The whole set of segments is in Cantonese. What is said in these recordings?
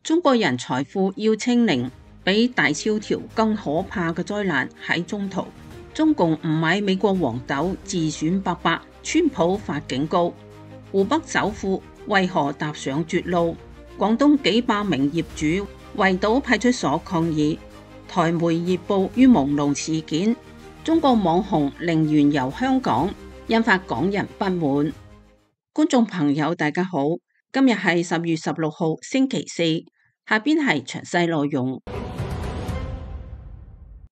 中國人財富要清零，比大蕭條更可怕嘅災難喺中途。中共唔買美國黃豆，自損伯伯，川普發警告。湖北首富為何踏上絕路？廣東幾百名業主圍堵派出所抗議。台媒熱報於朦朧事件。中國網紅零元遊香港，引發港人不滿。觀眾朋友大家好，今日係10月16號星期四，下邊係詳細內容。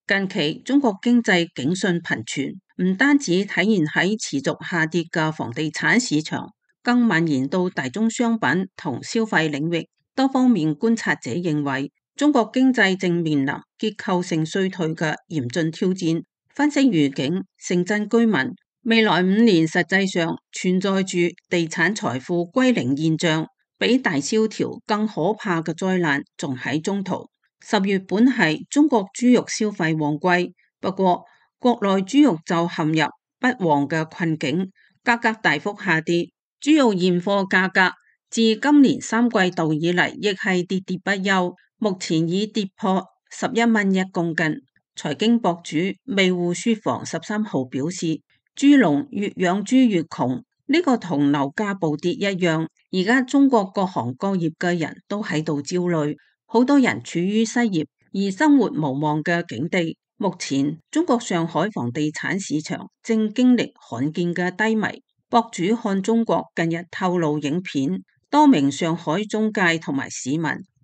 近期中國經濟警訊頻傳，唔單止體現喺持續下跌嘅房地產市場，更蔓延到大宗商品同消費領域。多方面觀察者認為，中國經濟正面臨結構性衰退嘅嚴峻挑戰。分析預警，城鎮居民未來5年實際上存在住地產財富歸零現象，比大蕭條更可怕嘅災難仲喺中途。10月本係中國豬肉消費旺季，不過國內豬肉就陷入不旺嘅困境，價格大幅下跌。豬肉現貨價格自今年3季度以嚟亦係跌跌不休，目前已跌破11蚊一公斤。財經博主味戶書房13號表示，豬農越養豬越窮，呢個同樓價暴跌一樣。而家中國各行各業嘅人都喺度焦慮，好多人處於失業而生活無望嘅境地。目前中國上海房地產市場正經歷罕見嘅低迷。博主看中國近日透露影片，多名上海中介同埋市民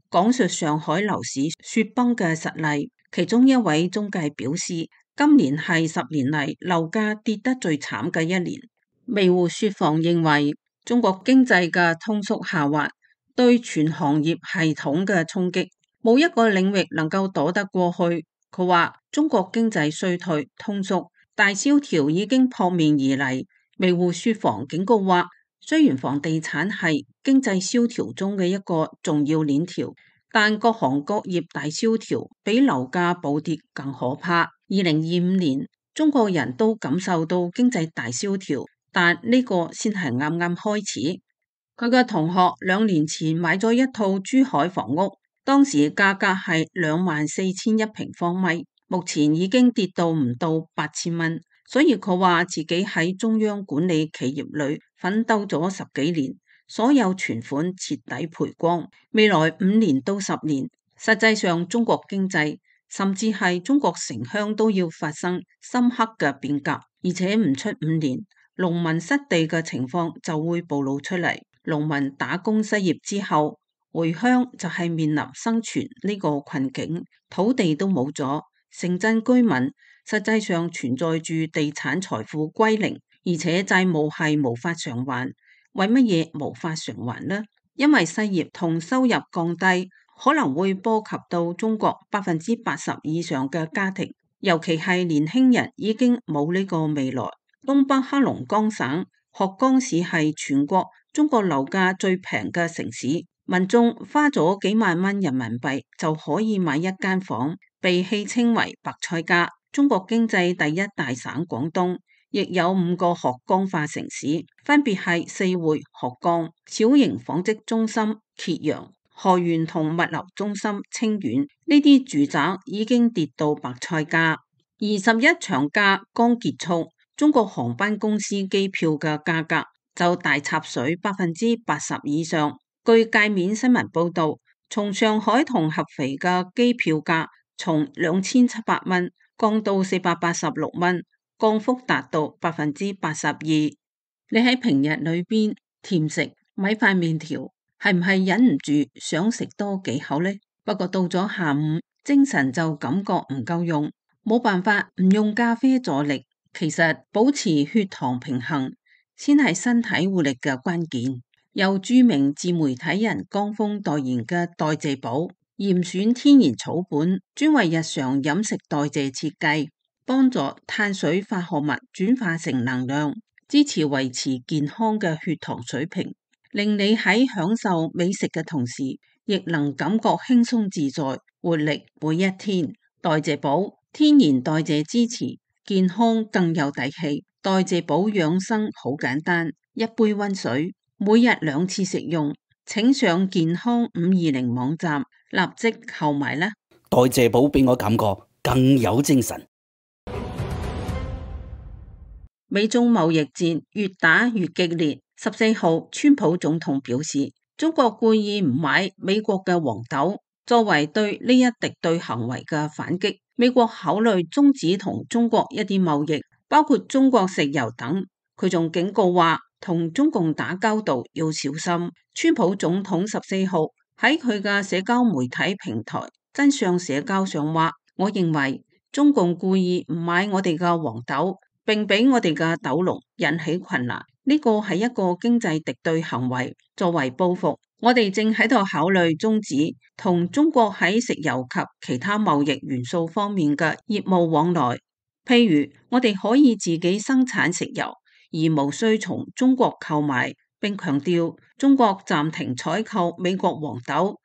講述上海樓市雪崩嘅實例。其中一位中介表示，今年係10年嚟樓價跌得最慘嘅一年。味戶書房認為，中國經濟嘅通縮下滑對全行業系統嘅衝擊，冇一個領域能夠躲得過去。佢話中國經濟衰退、通縮、大蕭條已經撲面而嚟。味戶書房警告話，雖然房地產係經濟蕭條中嘅一個重要鏈條，但各行各業大蕭條比樓價暴跌更可怕。2025年，中國人都感受到經濟大蕭條，但呢個先係啱啱開始。佢嘅同學2年前買咗一套珠海房屋，當時價格係24,000一平方米，目前已經跌到唔到8,000蚊。所以佢話自己喺中央管理企業裏奮鬥咗10幾年。所有存款徹底賠光，未來5年到10年，實際上中國經濟甚至係中國城鄉都要發生深刻嘅變革，而且唔出5年，農民失地嘅情況就會暴露出嚟。農民打工失業之後，回鄉就係面臨生存呢個困境，土地都冇咗，城鎮居民實際上存在住地產財富歸零，而且債務係無法償還。為乜嘢無法償還呢？因為失業同收入降低，可能會波及到中國80%以上嘅家庭，尤其係年輕人已經冇呢個未來。東北黑龍江省鶴崗市係全國中國樓價最平嘅城市，民眾花咗幾萬蚊人民幣就可以買一間房，被戲稱為白菜價。中國經濟第一大省廣東亦有5個鶴崗化城市，分別係四會、鶴崗、小型紡織中心揭陽、河源同物流中心清遠。呢啲住宅已經跌到白菜價。21長假剛結束，中國航班公司機票嘅價格就大插水80%以上。據界面新聞報道，從上海同合肥嘅機票價從2700蚊降到486蚊。降幅達到82%。你喺平日裏邊甜食米飯麵條，係唔係忍唔住想食多幾口呢？不過到咗下午，精神就感覺唔夠用，冇辦法唔用咖啡助力。其實保持血糖平衡先係身體活力嘅關鍵。由著名自媒體人江峰代言嘅代謝寶嚴選天然草本，專為日常飲食代謝設計，幫助碳水化合物轉化成能量，支持維持健康嘅血糖水平，令你喺享受美食嘅同時，亦能感覺輕鬆自在、活力每一天。代謝寶天然代謝支持，健康更有底氣。代謝寶養生好簡單，一杯溫水，每日2次食用，請上健康520網站立即購買啦！代謝寶俾我感覺更有精神。美中貿易戰越打越激烈。14號，川普總統表示，中國故意唔買美國嘅黃豆，作為對呢一敵對行為嘅反擊。美國考慮終止同中國一啲貿易，包括中國石油等。佢仲警告話，同中共打交道要小心。川普總統14號喺佢嘅社交媒體平台真相社交上話，我認為中共故意唔買我哋嘅黃豆，並俾我哋嘅豆農引起困難，呢個係一個經濟敵對行為。作為報復，我哋正喺度考慮終止同中國喺石油及其他貿易元素方面嘅業務往來。譬如，我哋可以自己生產石油，而無需從中國購買。並強調，中國暫停採購美國黃豆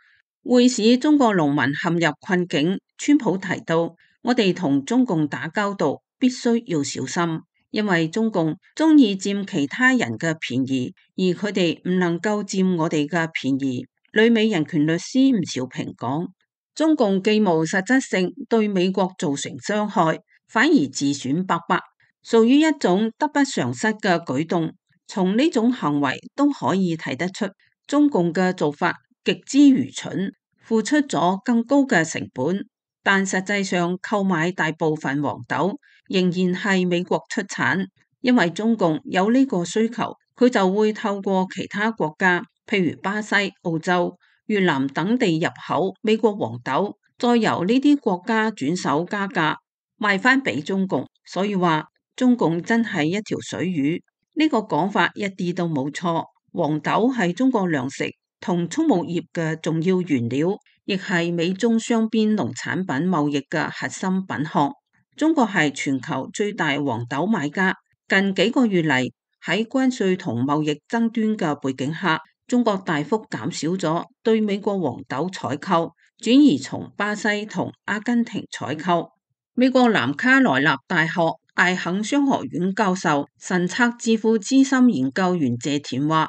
會使中國農民陷入困境。川普提到，我哋同中共打交道必須要小心，因為中共中意佔其他人嘅便宜，而佢哋唔能夠佔我哋嘅便宜。旅美人權律師吳兆平講，中共既無實質性對美國造成傷害，反而自損伯伯，屬於一種得不償失嘅舉動。從呢種行為都可以睇得出，中共嘅做法極之愚蠢，付出咗更高嘅成本。但實際上購買大部分黃豆仍然係美國出產，因為中共有呢個需求，佢就會透過其他國家，譬如巴西、澳洲、越南等地入口美國黃豆，再由呢啲國家轉手加價賣翻俾中共。所以話中共真係一條水魚，呢個講法一啲都冇錯。黃豆係中國糧食同畜牧業嘅重要原料，亦係美中雙邊農產品貿易嘅核心品項。中國係全球最大黃豆買家。近幾個月嚟，喺關稅同貿易爭端嘅背景下，中國大幅減少咗對美國黃豆採購，轉移從巴西同阿根廷採購。美國南卡羅來納大學艾肯商學院教授、神策智庫資深研究員謝田話，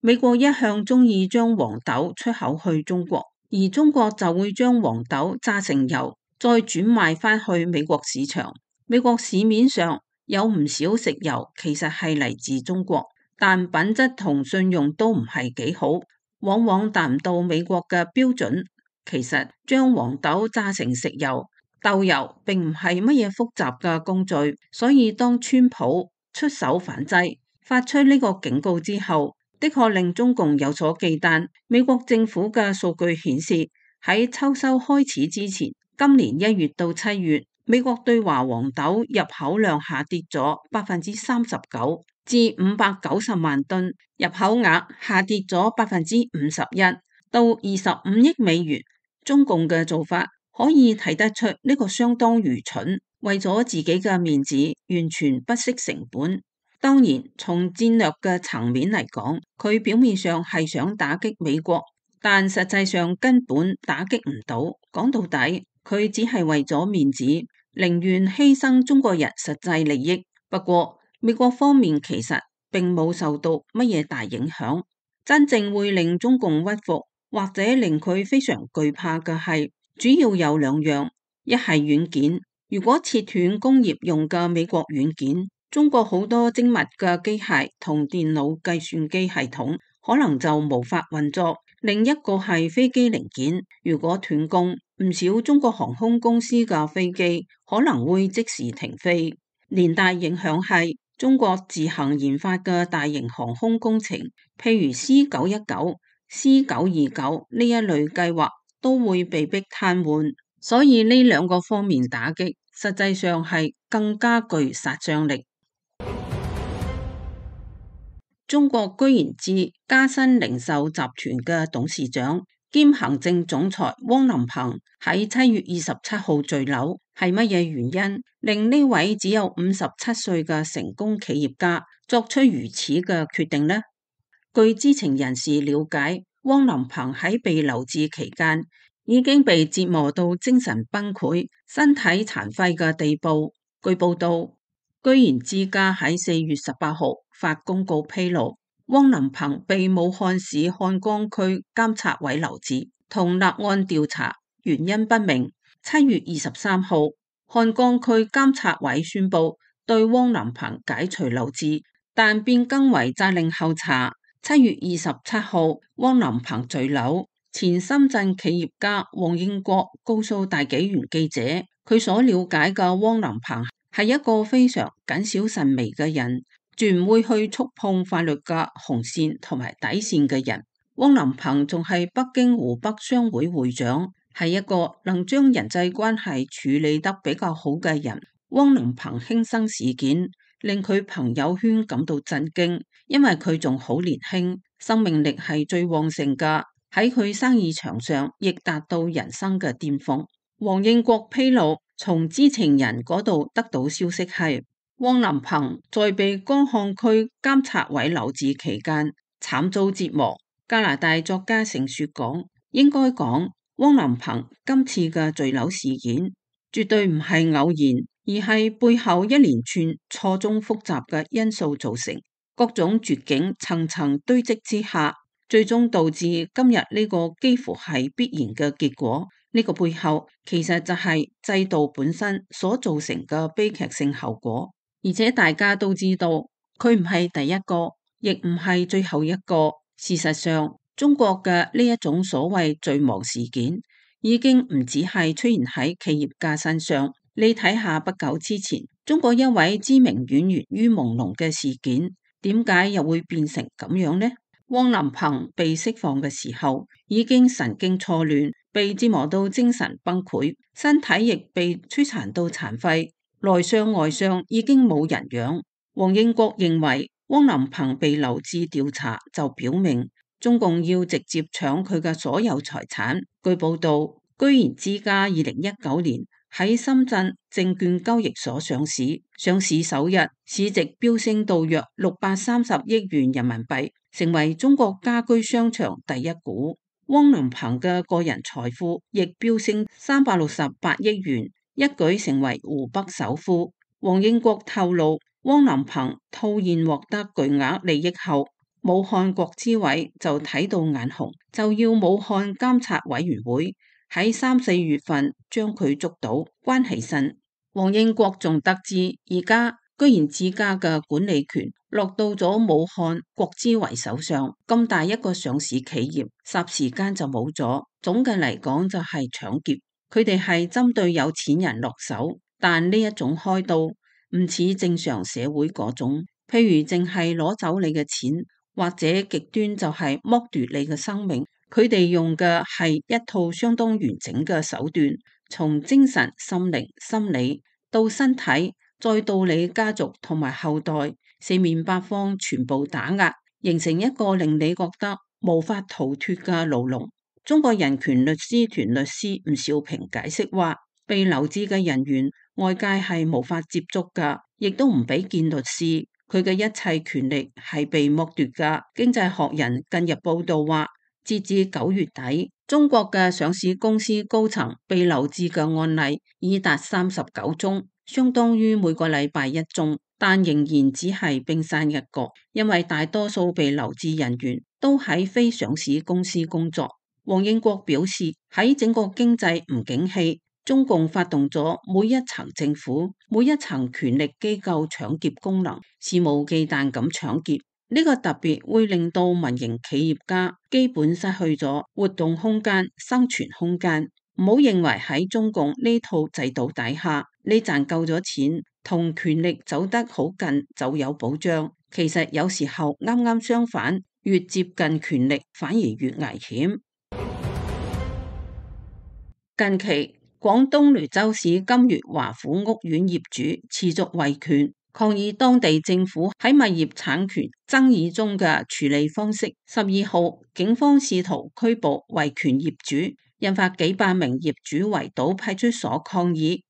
美國一向中意將黃豆出口去中國，而中國就會將黃豆榨成油，再轉賣翻去美國市場。美國市面上有唔少食油其實係嚟自中國，但品質同信用都唔係幾好，往往達唔到美國嘅標準。其實將黃豆榨成食油、豆油並唔係乜嘢複雜嘅工序，所以當川普出手反制，發出呢個警告之後，的確令中共有所忌憚。美國政府嘅數據顯示，喺秋收開始之前，今年1月到7月，美國對華黃豆入口量下跌咗39%，至590萬噸，入口額下跌咗51%，到25億美元。中共嘅做法可以睇得出呢個相當愚蠢，為咗自己嘅面子，完全不惜成本。當然，從戰略嘅層面嚟講，佢表面上係想打擊美國，但實際上根本打擊唔到。講到底，佢只係為咗面子，寧願犧牲中國人實際利益。不過，美國方面其實並冇受到乜嘢大影響。真正會令中共屈服，或者令佢非常懼怕嘅係，主要有2樣，一係軟件。如果切斷工業用嘅美國軟件，中國好多精密嘅機械同電腦計算機系統可能就無法運作。另一個係飛機零件，如果斷供，唔少中國航空公司嘅飛機可能會即時停飛。連帶影響係中國自行研發嘅大型航空工程，譬如 C919、C929 呢一類計劃都會被迫癱瘓。所以呢2個方面打擊，實際上係更加具殺傷力。中國居然置嘉新零售集團嘅董事長兼行政總裁汪林鵬喺7月27號墜樓，係乜嘢原因令呢位只有57歲嘅成功企業家作出如此嘅決定呢？據知情人士了解，汪林鵬喺被留置期間已經被折磨到精神崩潰、身體殘廢嘅地步。據報道，居然之家喺4月18號發公告披露，汪林鵬被武漢市漢江區監察委留置，同立案調查，原因不明。7月23號，漢江區監察委宣布對汪林鵬解除留置，但變更為責令候查。7月27號，汪林鵬墜樓，前深圳企業家黃應國告訴大紀元記者，佢所了解嘅汪林鵬係一個非常謹小慎微嘅人，絕唔會去觸碰法律嘅紅線同埋底線嘅人。汪林鵬仲係北京湖北商會會長，係一個能將人際關係處理得比較好嘅人。汪林鵬輕生事件令佢朋友圈感到震驚，因為佢仲好年輕，生命力係最旺盛㗎，喺佢生意場上亦達到人生嘅巔峰。黃應國披露，從知情人嗰度得到消息係，汪林鵬在被江漢區監察委留置期間慘遭折磨。加拿大作家盛雪講，應該講汪林鵬今次嘅墜樓事件絕對唔係偶然，而係背後一連串錯綜複雜嘅因素造成，各種絕境層層堆積之下，最終導致今日呢個幾乎係必然嘅結果。呢個背後其實就係制度本身所造成嘅悲劇性後果，而且大家都知道佢唔係第一個，亦唔係最後一個。事實上，中國嘅呢一種所謂墜亡事件已經唔只係出現喺企業家身上。你睇下不久之前中國一位知名演員於朦朧嘅事件，點解又會變成咁樣呢？汪林鵬被釋放嘅時候已經神經錯亂，被折磨到精神崩潰，身體亦被摧殘到殘廢，內傷外傷已經冇人養。黃應國認為汪林鵬被留置調查就表明中共要直接搶佢嘅所有財產。據報道，居然之家2019年喺深圳證券交易所上市，上市首日市值飆升到約630億元人民幣，成為中國家居商場第一股。汪林鵬嘅個人財富亦飆升368億元，一舉成為湖北首富。黃應國透露，汪林鵬套現獲得巨額利益後，武漢國資委就睇到眼紅，就要武漢監察委員會喺3-4月份將佢捉到關起身。黃應國仲得知，而家居然自家嘅管理權落到咗武漢國資委手上，咁大一個上市企業霎時間就冇咗。總嘅嚟講就係搶劫，佢哋係針對有錢人落手，但呢一種開刀唔似正常社會嗰種，譬如淨係攞走你嘅錢，或者極端就係剝奪你嘅生命。佢哋用嘅係一套相當完整嘅手段，從精神、心靈、心理到身體，再到你家族同埋後代，四面八方全部打壓，形成一個令你覺得無法逃脫嘅牢籠。中國人權律師團律師吳兆平解釋話，被留置嘅人員外界係無法接觸㗎，亦都唔俾見律師，佢嘅一切權利係被剝奪㗎。經濟學人近日報道話，截至9月底，中國嘅上市公司高層被留置嘅案例已達39宗，相當於每個禮拜1宗，但仍然只係冰山一角，因為大多數被留置人員都喺非上市公司工作。黃應國表示，喺整個經濟唔景氣，中共發動咗每一層政府、每一層權力機構搶劫功能，肆無忌憚咁搶劫。呢個特別會令到民營企業家基本失去咗活動空間、生存空間。唔好認為喺中共呢套制度底下，你賺夠咗錢，同權力走得好近就有保障。其實有時候啱啱相反，越接近權力反而越危險。近期，廣東雷州市金月華府屋苑業主持續維權，抗議當地政府喺物業產權爭議中嘅處理方式。12號，警方試圖拘捕維權業主，引發幾百名業主圍堵派出所抗議。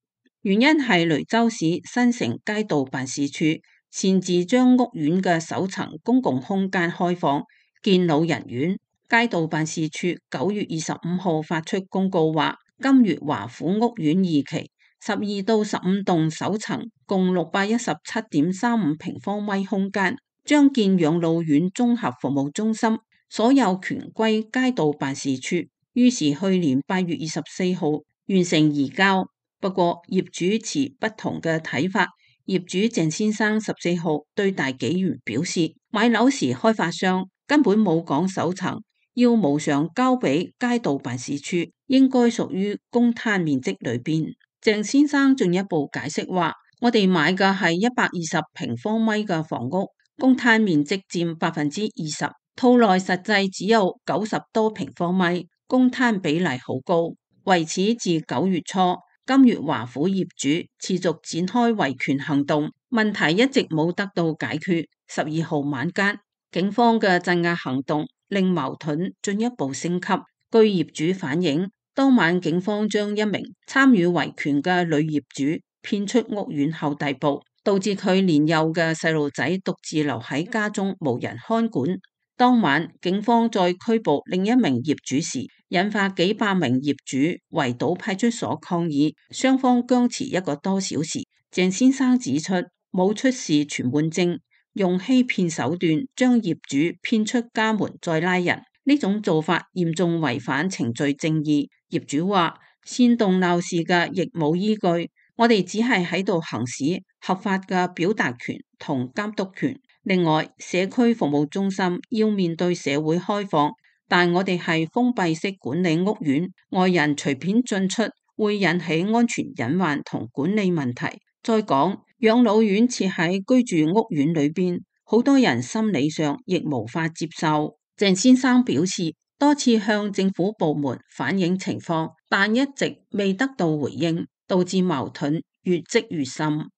原因係雷州市新城街道辦事處擅自將屋苑嘅首層公共空間開放建老人院。街道辦事處9月25號發出公告話，金月華府屋苑2期12到15棟首層共617.35平方米空間將建養老院綜合服務中心，所有權歸街道辦事處。於是去年8月24號完成移交。不過業主持不同嘅睇法。業主鄭先生14號對大紀元表示，買樓時開發商根本冇講首層要無償交俾街道辦事處，應該屬於公攤面積裏邊。鄭先生進一步解釋話，我哋買嘅係120平方米嘅房屋，公攤面積佔20%，套內實際只有90多平方米，公攤比例好高。為此自9月初，金月華府業主持續展開維權行動，問題一直冇得到解決。12號晚間，警方嘅鎮壓行動令矛盾進一步升級。據業主反映，當晚警方將一名參與維權嘅女業主騙出屋苑後逮捕，導致佢年幼嘅細路仔獨自留喺家中無人看管。當晚警方再拘捕另一名業主時，引發幾百名業主圍堵派出所抗議，雙方僵持1個多小時。鄭先生指出，冇出示存換證，用欺騙手段將業主騙出家門再拉人，呢種做法嚴重違反程序正義。業主話，煽動鬧事嘅亦冇依據，我哋只係喺度行使合法嘅表達權同監督權。另外，社區服務中心要面對社會開放，但我哋係封閉式管理屋苑，外人隨便進出會引起安全隱患同管理問題。再講，養老院設喺居住屋苑裏邊，好多人心理上亦無法接受。鄭先生表示，多次向政府部門反映情況，但一直未得到回應，導致矛盾越積越深。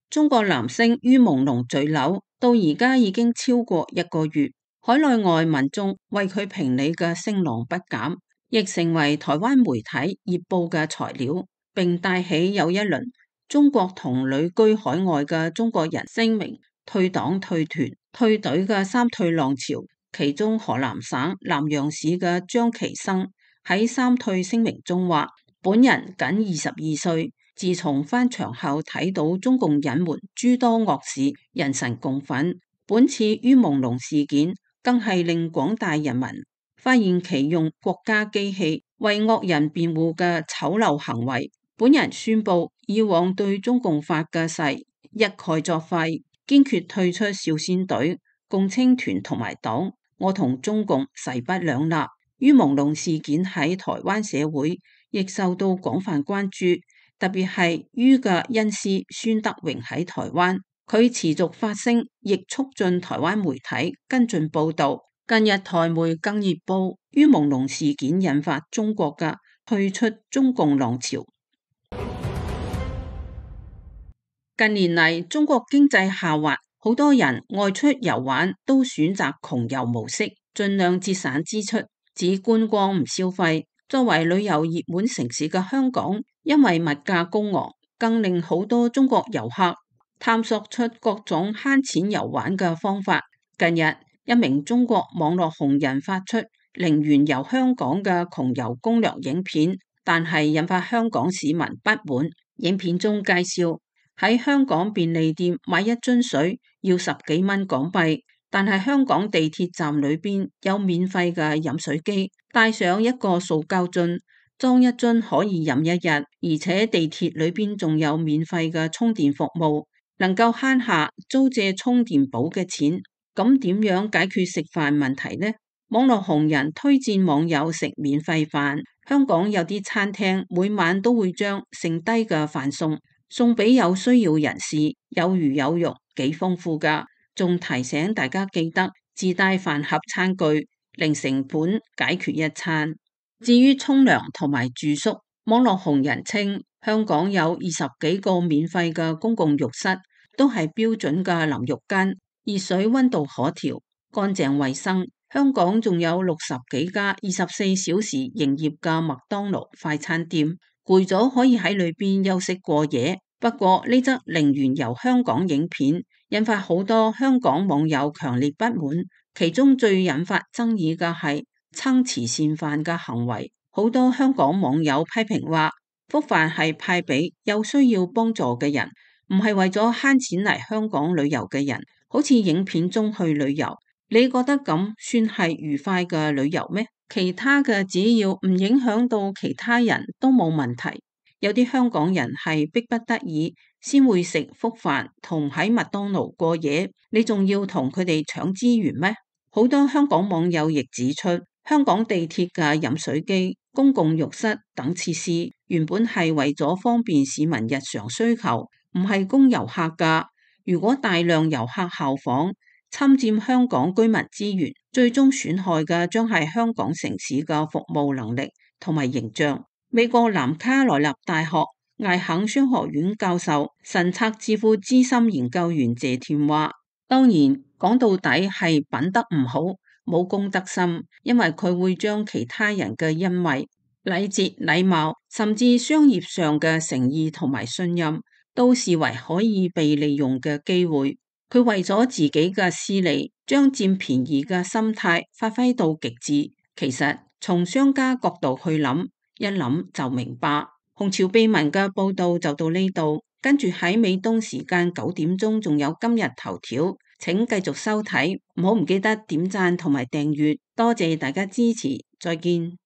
中國男星于朦朧墜樓到而家已經超過1個月，海內外民眾為佢評理嘅聲浪不減，亦成為台灣媒體熱報嘅材料，並帶起又一輪中國同旅居海外嘅中國人聲明退黨退團退隊嘅三退浪潮。其中河南省南陽市嘅張其生喺三退聲明中話，本人僅22歲，自從返牆後睇到中共隱瞞諸多惡事，人神共憤。本次于朦朧事件更係令廣大人民發現其用國家機器為惡人辯護嘅醜陋行為。本人宣布以往對中共發嘅誓一概作廢，堅決退出少先隊、共青團同埋黨。我同中共勢不兩立。于朦朧事件喺台灣社會亦受到廣泛關注，特別係于嘅恩師孫德榮喺台灣，佢持續發聲，亦促進台灣媒體跟進報導。近日台媒更熱報于朦朧事件引發中國嘅退出中共浪潮。近年嚟，中國經濟下滑，好多人外出遊玩都選擇窮遊模式，盡量節省支出，只觀光唔消費。作為旅遊熱門城市嘅香港，因為物價高昂，更令好多中國遊客探索出各種慳錢遊玩嘅方法。近日，一名中國網絡紅人發出0元遊香港嘅窮遊攻略影片，但係引發香港市民不滿。影片中介紹喺香港便利店買一樽水要10幾蚊港幣，但係香港地鐵站裏邊有免費嘅飲水機，帶上一個塑膠樽，裝一樽可以飲一日，而且地鐵裏邊仲有免費嘅充電服務，能夠慳下租借充電寶嘅錢。咁點樣解決食飯問題呢？網絡紅人推薦網友食免費飯，香港有啲餐廳每晚都會將剩低嘅飯送俾有需要人士，有魚有肉，幾豐富㗎。仲提醒大家記得自帶飯盒餐具，零成本解決一餐。至於沖涼同埋住宿，網絡紅人稱香港有20幾個免費嘅公共浴室，都係標準嘅淋浴間，熱水溫度可調，乾淨衛生。香港仲有60幾家24小時營業嘅麥當勞快餐店，攰咗可以喺裏邊休息過夜。不過呢則0元遊香港影片引發好多香港網友強烈不滿，其中最引發爭議嘅係蹭慈善飯嘅行為。好多香港網友批評話，福飯係派俾有需要幫助嘅人，唔係為咗慳錢嚟香港旅遊嘅人，好似影片中去旅遊。你覺得咁算係愉快嘅旅遊咩？其他嘅只要唔影響到其他人都冇問題。有啲香港人係逼不得已先會食福飯同喺麥當勞過夜，你仲要同佢哋搶資源咩？好多香港網友亦指出，香港地鐵嘅飲水機、公共浴室等設施原本係為咗方便市民日常需求，唔係供遊客㗎。如果大量遊客效仿，侵佔香港居民資源，最終損害嘅將係香港城市嘅服務能力同埋形象。美國南卡羅來納大學艾肯商學院教授、神策智庫資深研究員謝添話，當然講到底係品德唔好，冇公德心，因為佢會將其他人嘅恩惠、禮節、禮貌，甚至商業上嘅誠意同埋信任，都視為可以被利用嘅機會。佢為咗自己嘅私利，將佔便宜嘅心態發揮到極致。其實從商家角度去諗，一諗就明白。紅潮秘聞嘅報道就到呢度，跟住喺美東時間9點鐘仲有今日頭條，請繼續收睇，唔好唔記得點讚同埋訂閱，多謝大家支持，再見。